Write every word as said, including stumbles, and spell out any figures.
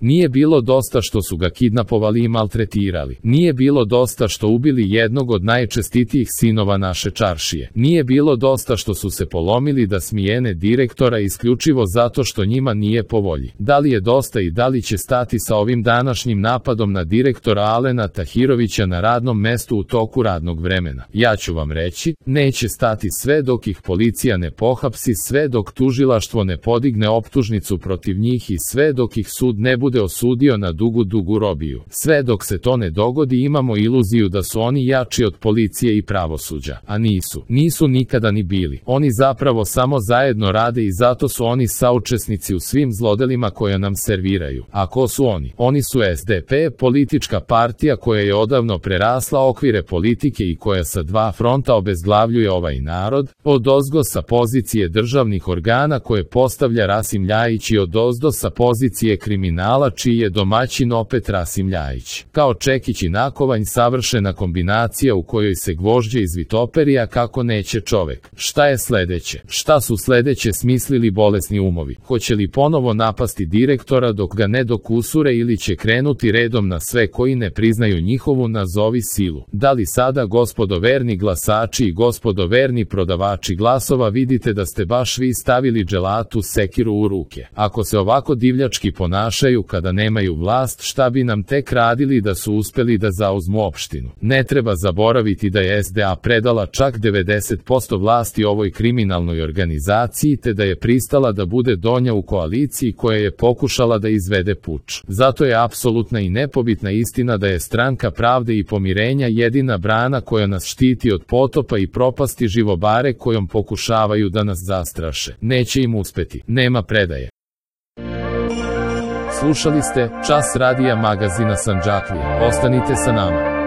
Nije bilo dosta što su ga kidnapovali i maltretirali. Nije bilo dosta što ubili jednog od najčestitijih sinova naše čaršije. Nije bilo dosta što su se polomili da smijene direktora isključivo zato što njima nije po volji. Da li je dosta i da li će stati sa ovim današnjim napadom na direktora Alena Tahirovića na radnom mestu u toku radnog vremena? Ja ću vam reći, neće stati sve dok ih policija ne pohapsi, sve dok tužilaštvo ne podigne optužnicu protiv njih i sve dok ih sud ne bude osudio na dugu dugu robiju. Sve dok se to ne dogodi imamo iluziju da su oni jači od policije i pravosuđa, a nisu. Nisu nikada ni bili. Oni zapravo samo zajedno rade i zato su oni saučesnici u svim zlodelima koja nam serviraju. A ko su oni? Oni su S D P, politička partija koja je odavno prerasla okvire politike i koja sa dva fronta obezglavljuje ovaj narod, odozgo sa pozicije državnih organa koje postavlja Rasim Ljajić i odozdo sa pozicije kriminala čiji je domaćin opet Rasim Ljajić. Kao čekić i nakovanj savršena kombinacija u kojoj se gvožđe izvitoperija kako neće čovek. Šta je sledeće? Šta su sledeće smislili bolesni umovi? Hoće li ponovo napasti direktora dok ga ne dokusure ili će krenuti redom na sve koji ne priznaju njihovu nazovi silu? Da li sada, gospodo verni glasači i gospodo verni prodavači glasova, vidite da ste baš vi stavili dželatu sekiru u ruke? Ako se ovako divljački ponašaju kada nemaju vlast, šta bi nam tek radili da su uspeli da zauzmu opštinu? Ne treba zaboraviti da je S D A predala čak devedeset posto vlasti ovoj kriminalnoj organizaciji te da je pristala da bude donja u koaliciji koja je pokušala da izvede puč. Zato je apsolutna i nepobitna istina da je Stranka pravde i pomirenja jedina brana koja nas štiti od potopa i propasti živobare kojom pokušavaju da nas zastraše. Neće im uspeti. Nema predaje. Slušali ste Čas radija magazina Sandžaklija. Ostanite sa nama.